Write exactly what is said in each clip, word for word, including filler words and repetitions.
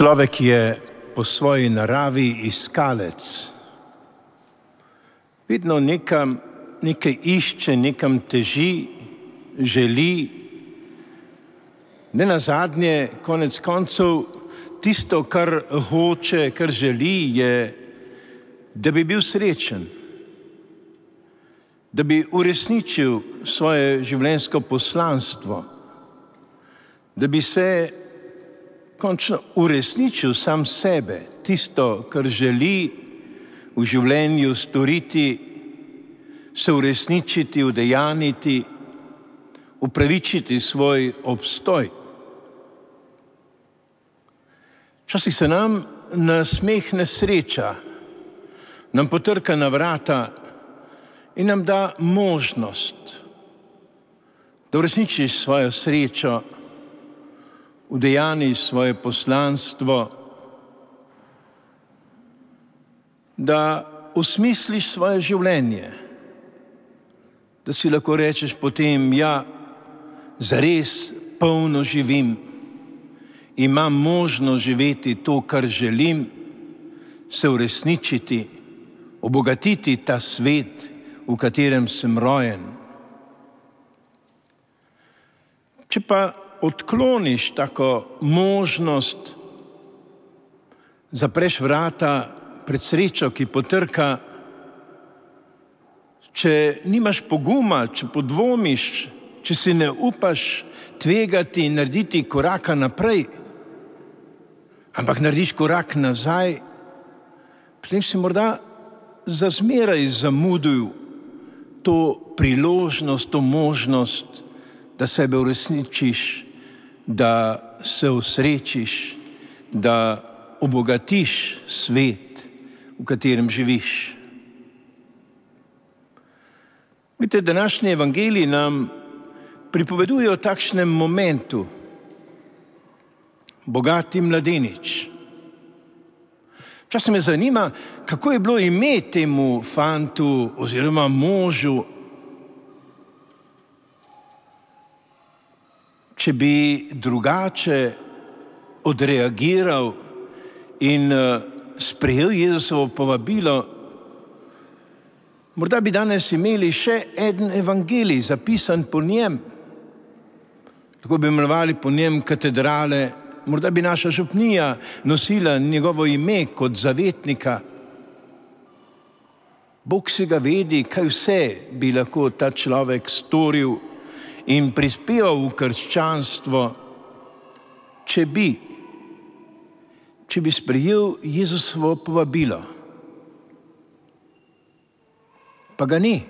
Človek je po svoji naravi iskalec. Vedno nekam, nekaj išče, nekam teži, želi. Ne nazadnje, konec koncev, tisto, kar hoče, kar želi, je, da bi bil srečen, da bi uresničil svoje življenjsko poslanstvo, da bi se končno uresničil sam sebe, tisto, kar želi v življenju storiti, se uresničiti, udejaniti, upravičiti svoj obstoj. Včasih se nam nasmehne sreča, nam potrka na vrata in nam da možnost, da uresničiš svojo srečo, udejaniš svoje poslanstvo, da osmisliš svoje življenje, da si lahko rečeš potem, ja, zares polno živim, imam možnost živeti to, kar želim, se uresničiti, obogatiti ta svet, v katerem sem rojen. Če pa odkloniš tako možnost, zapreš vrata pred srečo, ki potrka, če nimaš poguma, če podvomiš, če si ne upaš tvegati in narediti koraka naprej, ampak narediš korak nazaj, potem si morda za zmeraj zamudil to priložnost, to možnost, da sebe uresničiš, da se osrečiš, da obogatiš svet, v katerem živiš. Vidite, današnji evangeliji nam pripoveduje o takšnem momentu. Bogati mladenič. Včasih me zanima, kako je bilo ime temu fantu oziroma možu. Če bi drugače odreagiral in sprejel Jezusovo povabilo, morda bi danes imeli še en evangelij zapisan po njem. Lahko bi imenovali po njem katedrale, morda bi naša župnija nosila njegovo ime kot zavetnika. Bog si ga vedi, kaj vse bi lahko ta človek storil in prispeval v krščanstvo, če bi, če bi sprejel Jezusovo povabilo. Pa ga ni.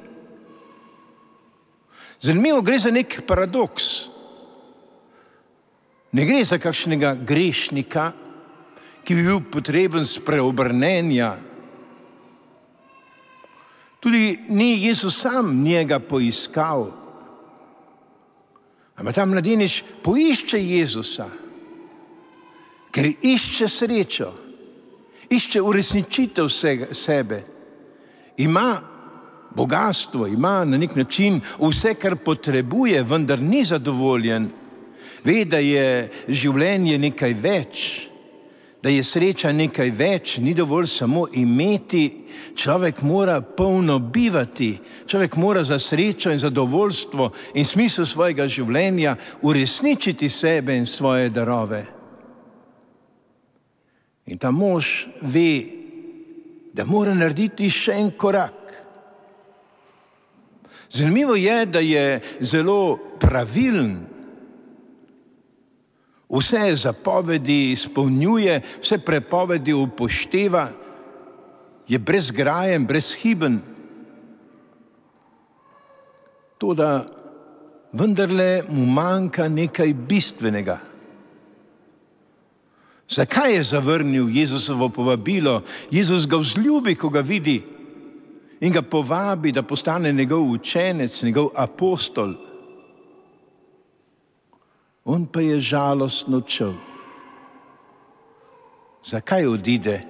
Zanimivo, gre za nek paradoks. Ne gre za kakšnega grešnika, ki bi bil potreben spreobrnenja. Tudi ni Jezus sam njega poiskal. Ampak ta mladenič poišče Jezusa, ker išče srečo, išče uresničitev sebe. Ima bogastvo, ima na nek način vse, kar potrebuje, vendar ni zadovoljen. Ve, da je življenje nekaj več, da je sreča nekaj več, ni dovolj samo imeti, človek mora polno bivati, človek mora za srečo in zadovoljstvo in smisel svojega življenja uresničiti sebe in svoje darove. In ta mož ve, da mora narediti še en korak. Zanimivo je, da je zelo pravilen, vse zapovedi izpolnjuje, vse prepovedi upošteva, je brezgrajen, brezhiben. Toda vendarle mu manjka nekaj bistvenega. Zakaj je zavrnil Jezusovo povabilo? Jezus ga vzljubi, ko ga vidi in ga povabi, da postane njegov učenec, njegov apostol. On pa je žalostno odšel. Zakaj odide?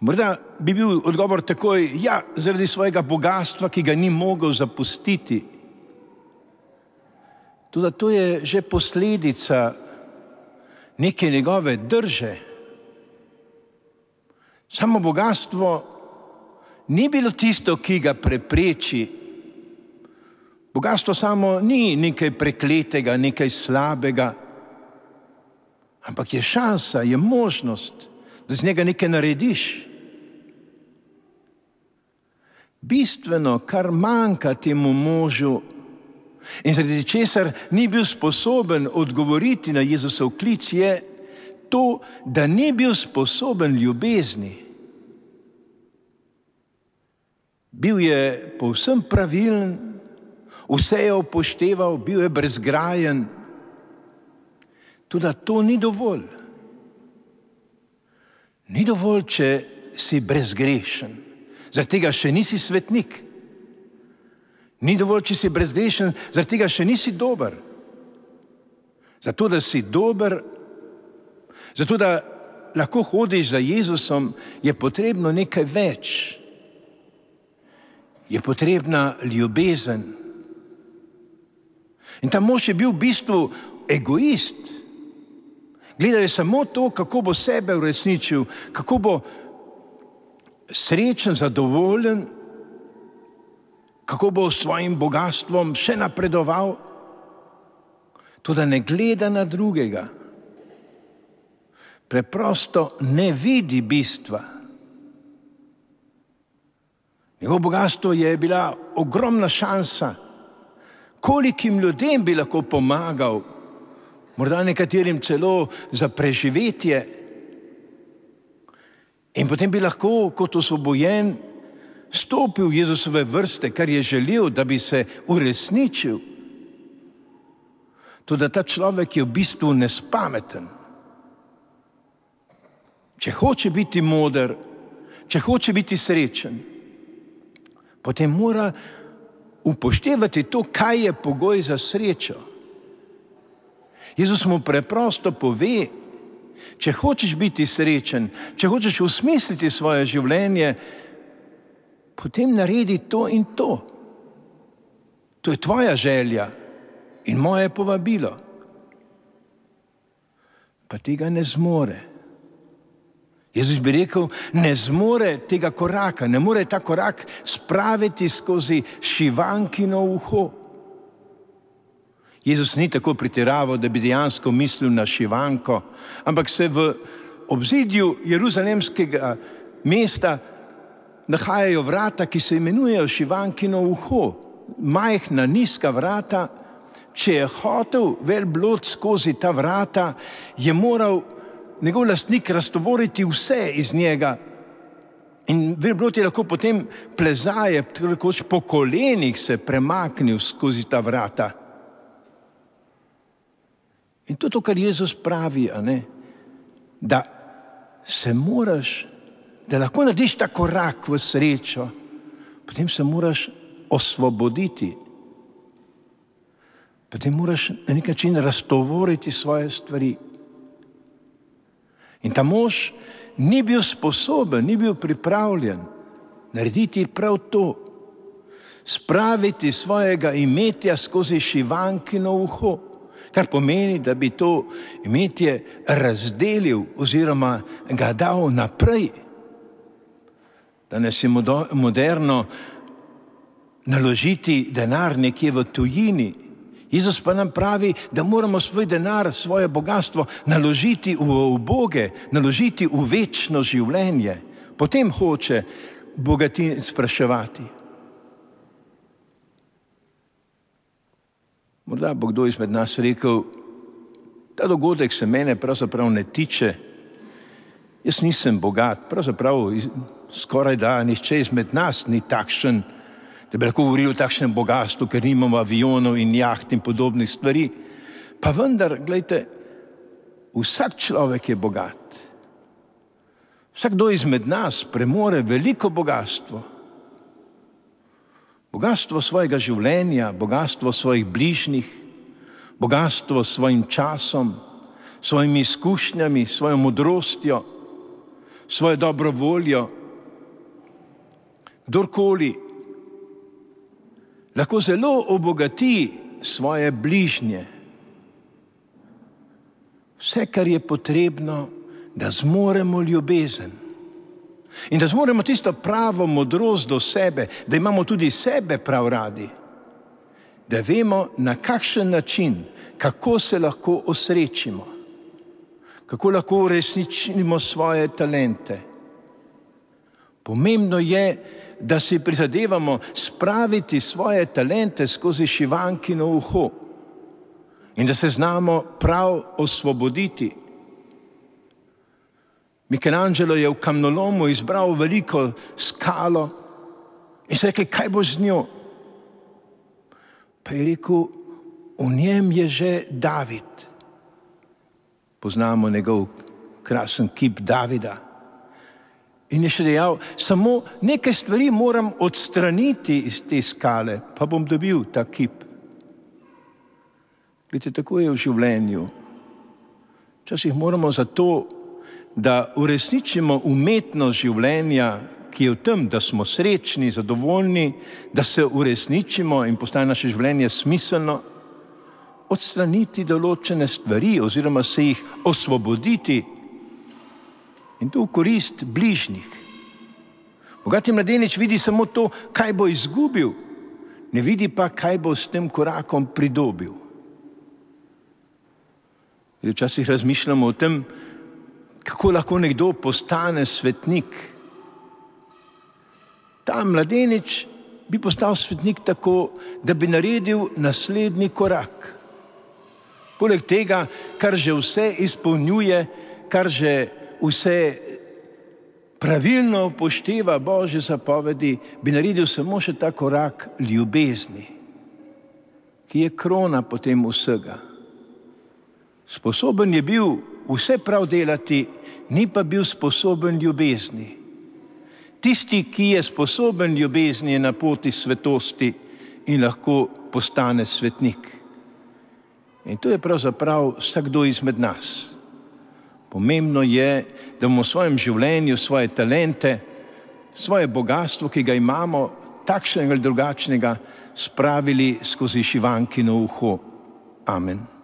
Morda bi bil odgovor takoj, ja, zaradi svojega bogastva, ki ga ni mogel zapustiti. Toda to je že posledica neke njegove drže. Samo bogatstvo ni bilo tisto, ki ga prepreči. Bogatstvo samo ni nekaj prekletega, nekaj slabega, ampak je šansa, je možnost, da z njega nekaj narediš. Bistveno, kar manjka temu možu in zaradi česar ni bil sposoben odgovoriti na Jezusov klic, je to, da ni bil sposoben ljubezni. Bil je povsem pravilen, vse je upošteval, bil je brezgrajen. Toda to ni dovolj. Ni dovolj, če si brezgrešen. Zaradi tega še nisi svetnik. Ni dovolj, če si brezgrešen, zaradi tega še nisi dober. Zato, da si dober, zato, da lahko hodiš za Jezusom, je potrebno nekaj več. Je potrebna ljubezen. In ta mož je bil v bistvu egoist. Gledal je samo to, kako bo sebe uresničil, kako bo srečen, zadovoljen, kako bo s svojim bogatstvom še napredoval. Toda ne gleda na drugega. Preprosto ne vidi bistva. Njegovo bogatstvo je bila ogromna šansa. Kolikim ljudem bi lahko pomagal, morda nekaterim celo za preživetje. In potem bi lahko kot osvobojen stopil v Jezusove vrste, kar je želel, da bi se uresničil. Toda ta človek je v bistvu nespameten. Če hoče biti moder, če hoče biti srečen, potem mora upoštevati to, kaj je pogoj za srečo. Jezus mu preprosto pove, če hočeš biti srečen, če hočeš usmisliti svoje življenje, potem naredi to in to. To je tvoja želja in moje povabilo. Pa tega ne zmore. Jezus bi rekel, ne zmore tega koraka, ne more ta korak spraviti skozi šivankino uho. Jezus ni tako pretiraval, da bi dejansko mislil na šivanko, ampak se v obzidju jeruzalemskega mesta nahajajo vrata, ki se imenujejo šivankino uho. Majhna, nizka vrata. Če je hotel vel blod skozi ta vrata, je moral njegov lastnik raztovoriti vse iz njega. In velblod je lahko potem plezaje, tako po kolenih se premaknil skozi ta vrata. In to je to, kar Jezus pravi, a ne? Da se moraš, da lahko narediš ta korak v srečo, potem se moraš osvoboditi. Potem moraš na nek način raztovoriti svoje stvari. In ta mož ni bil sposoben, ni bil pripravljen narediti prav to, spraviti svojega imetja skozi šivankino uho, kar pomeni, da bi to imetje razdelil oziroma ga dal naprej. Danes je moderno naložiti denar nekje v tujini. Jezus pa nam pravi, da moramo svoj denar, svoje bogatstvo naložiti v uboge, naložiti v večno življenje. Potem hoče bogatin spraševati. Morda bo kdo izmed nas rekel, ta dogodek se mene pravzaprav ne tiče. Jaz nisem bogat, pravzaprav skoraj da nihče izmed nas ni takšen, da bi lahko govorili o takšnem bogatstvu, ker nimamo avionov in jaht in podobnih stvari. Pa vendar, gledajte, vsak človek je bogat. Vsakdo izmed nas premore veliko bogatstvo. Bogatstvo svojega življenja, bogatstvo svojih bližnjih, bogatstvo s svojim časom, svojimi izkušnjami, svojo modrostjo, svojo dobro voljo. Kdorkoli lahko zelo obogati svoje bližnje. Vse, kar je potrebno, da zmoremo ljubezen. In da zmoremo tisto pravo modrost do sebe, da imamo tudi sebe prav radi. Da vemo, na kakšen način, kako se lahko osrečimo, kako lahko uresničimo svoje talente. Pomembno je, da si prizadevamo spraviti svoje talente skozi šivankino uho in da se znamo prav osvoboditi. Michelangelo je v kamnolomu izbral veliko skalo in se rekel, kaj bo z njo? Pa je rekel, v njem je že David. Poznamo njegov krasen kip Davida. In je še dejal, samo nekaj stvari moram odstraniti iz te skale, pa bom dobil ta kip. Glede, tako je v življenju. Včasih moramo zato, da uresničimo umetnost življenja, ki je v tem, da smo srečni, zadovoljni, da se uresničimo in postane naše življenje smiselno, odstraniti določene stvari oziroma se jih osvoboditi in to v korist bližnjih. Bogati mladenič vidi samo to, kaj bo izgubil, ne vidi pa, kaj bo s tem korakom pridobil. In včasih razmišljamo o tem, kako lahko nekdo postane svetnik. Ta mladenič bi postal svetnik tako, da bi naredil naslednji korak. Poleg tega, kar že vse izpolnjuje, kar že vse pravilno upošteva Božje zapovedi, bi naredil samo še ta korak ljubezni, ki je krona potem vsega. Sposoben je bil vse prav delati, ni pa bil sposoben ljubezni. Tisti, ki je sposoben ljubezni, je na poti svetosti in lahko postane svetnik. In to je pravzaprav vsakdo izmed nas. Pomembno je, da bomo v svojem življenju svoje talente, svoje bogatstvo, ki ga imamo, takšnega ali drugačnega, spravili skozi šivankino uho. Amen.